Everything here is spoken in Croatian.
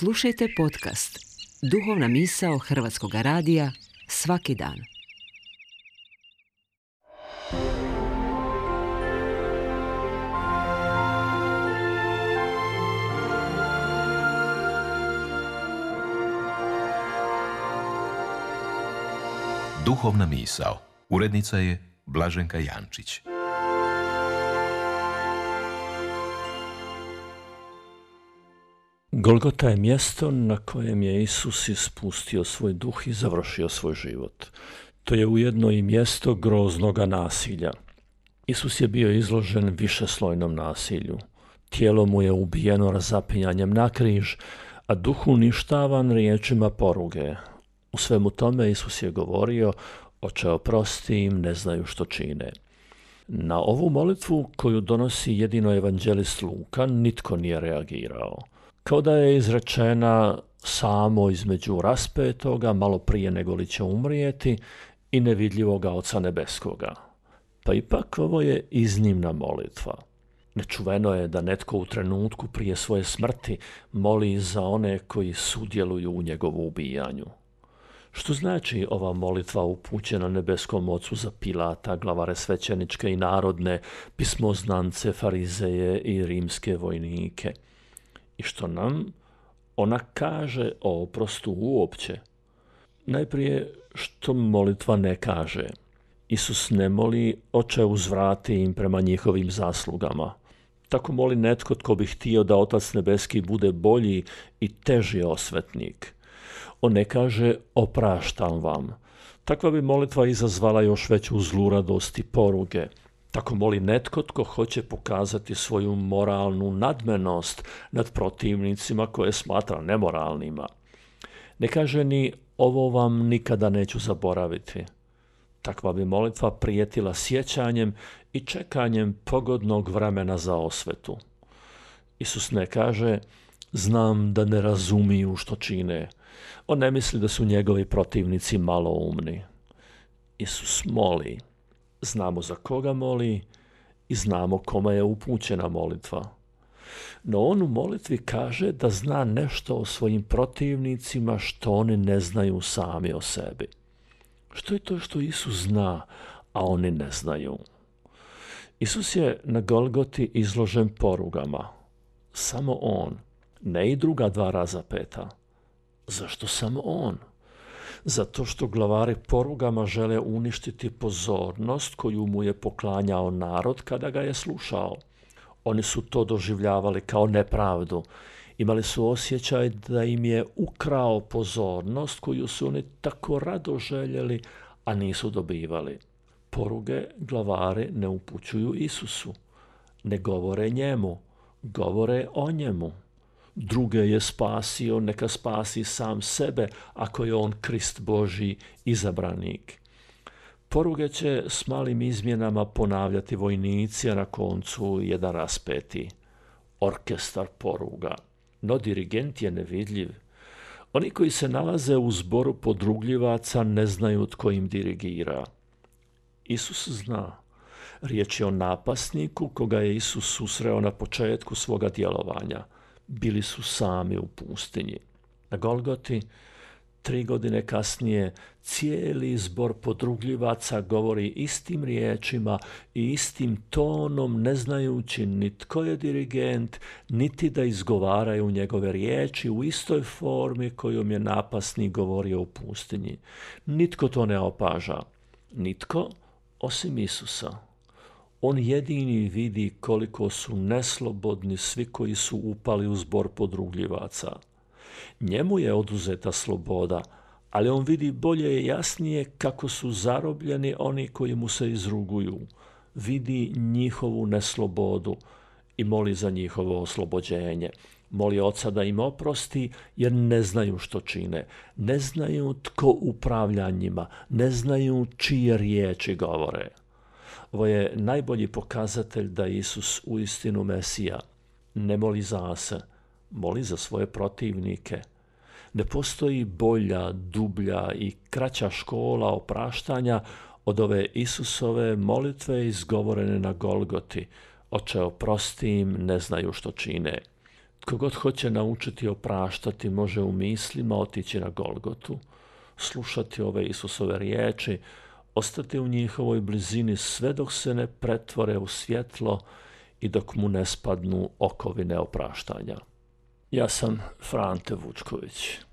Slušajte podcast Duhovna misao Hrvatskog radija svaki dan. Duhovna misao. Urednica je Blaženka Jančić. Golgota je mjesto na kojem je Isus ispustio svoj duh i završio svoj život. To je ujedno i mjesto groznoga nasilja. Isus je bio izložen višeslojnom nasilju. Tijelo mu je ubijeno razapinjanjem na križ, a duh uništavan riječima poruge. U svemu tome Isus je govorio: Oče, oprosti im, ne znaju što čine. Na ovu molitvu koju donosi jedino evanđelist Luka nitko nije reagirao. Kao da je izrečena samo između raspetoga, malo prije nego li će umrijeti, i nevidljivoga Oca nebeskoga. Pa ipak ovo je iznimna molitva. Nečuveno je da netko u trenutku prije svoje smrti moli za one koji sudjeluju u njegovu ubijanju. Što znači ova molitva upućena nebeskom Ocu za Pilata, glavare svećeničke i narodne, pismoznance, farizeje i rimske vojnike? I što nam ona kaže o oprostu uopće? Najprije, što molitva ne kaže. Isus ne moli: Oče, uzvrati im prema njihovim zaslugama. Tako moli netko tko bi htio da Otac nebeski bude bolji i teži osvetnik. On ne kaže: opraštam vam. Takva bi molitva izazvala još veću zluradost i poruge. Tako moli netko tko hoće pokazati svoju moralnu nadmenost nad protivnicima koje smatra nemoralnima. Ne kaže ni: ovo vam nikada neću zaboraviti. Takva bi molitva prijetila sjećanjem i čekanjem pogodnog vremena za osvetu. Isus ne kaže: znam da ne razumiju što čine. On ne misli da su njegovi protivnici maloumni. Isus moli. Znamo za koga moli i znamo kome je upućena molitva. No on u molitvi kaže da zna nešto o svojim protivnicima što oni ne znaju sami o sebi. Što je to što Isus zna, a oni ne znaju? Isus je na Golgoti izložen porugama. Samo on, ne i druga dva razapeta. Zašto samo on? Zato što glavari porugama žele uništiti pozornost koju mu je poklanjao narod kada ga je slušao. Oni su to doživljavali kao nepravdu. Imali su osjećaj da im je ukrao pozornost koju su oni tako rado željeli, a nisu dobivali. Poruge glavari ne upućuju Isusu. Ne govore njemu, govore o njemu. Druge je spasio, neka spasi sam sebe ako je on Krist Božji, izabranik. Poruge će s malim izmjenama ponavljati vojnici, a na koncu jedan raspeti. Orkestar poruga. No dirigent je nevidljiv. Oni koji se nalaze u zboru podrugljivaca ne znaju tko im dirigira. Isus zna. Riječ je o napasniku koga je Isus susreo na početku svoga djelovanja. Bili su sami u pustinji. Na Golgoti, 3 godine kasnije, cijeli zbor podrugljivaca govori istim riječima i istim tonom, ne znajući ni tko je dirigent, niti da izgovaraju njegove riječi u istoj formi kojom je napasnik govorio u pustinji. Nitko to ne opaža. Nitko osim Isusa. On jedini vidi koliko su neslobodni svi koji su upali u zbor podrugljivaca. Njemu je oduzeta sloboda, ali on vidi bolje i jasnije kako su zarobljeni oni koji mu se izruguju. Vidi njihovu neslobodu i moli za njihovo oslobođenje. Moli Oca da im oprosti jer ne znaju što čine. Ne znaju tko upravlja njima. Ne znaju čije riječi govore. Ovo je najbolji pokazatelj da je Isus uistinu Mesija. Ne moli za se, moli za svoje protivnike. Ne postoji bolja, dublja i kraća škola opraštanja od ove Isusove molitve izgovorene na Golgoti. Oče, oprosti im, ne znaju što čine. Kogod hoće naučiti opraštati može u mislima otići na Golgotu, slušati ove Isusove riječi, ostati u njihovoj blizini sve dok se ne pretvore u svjetlo i dok mu ne spadnu okovine opraštanja. Ja sam Frante Vučković.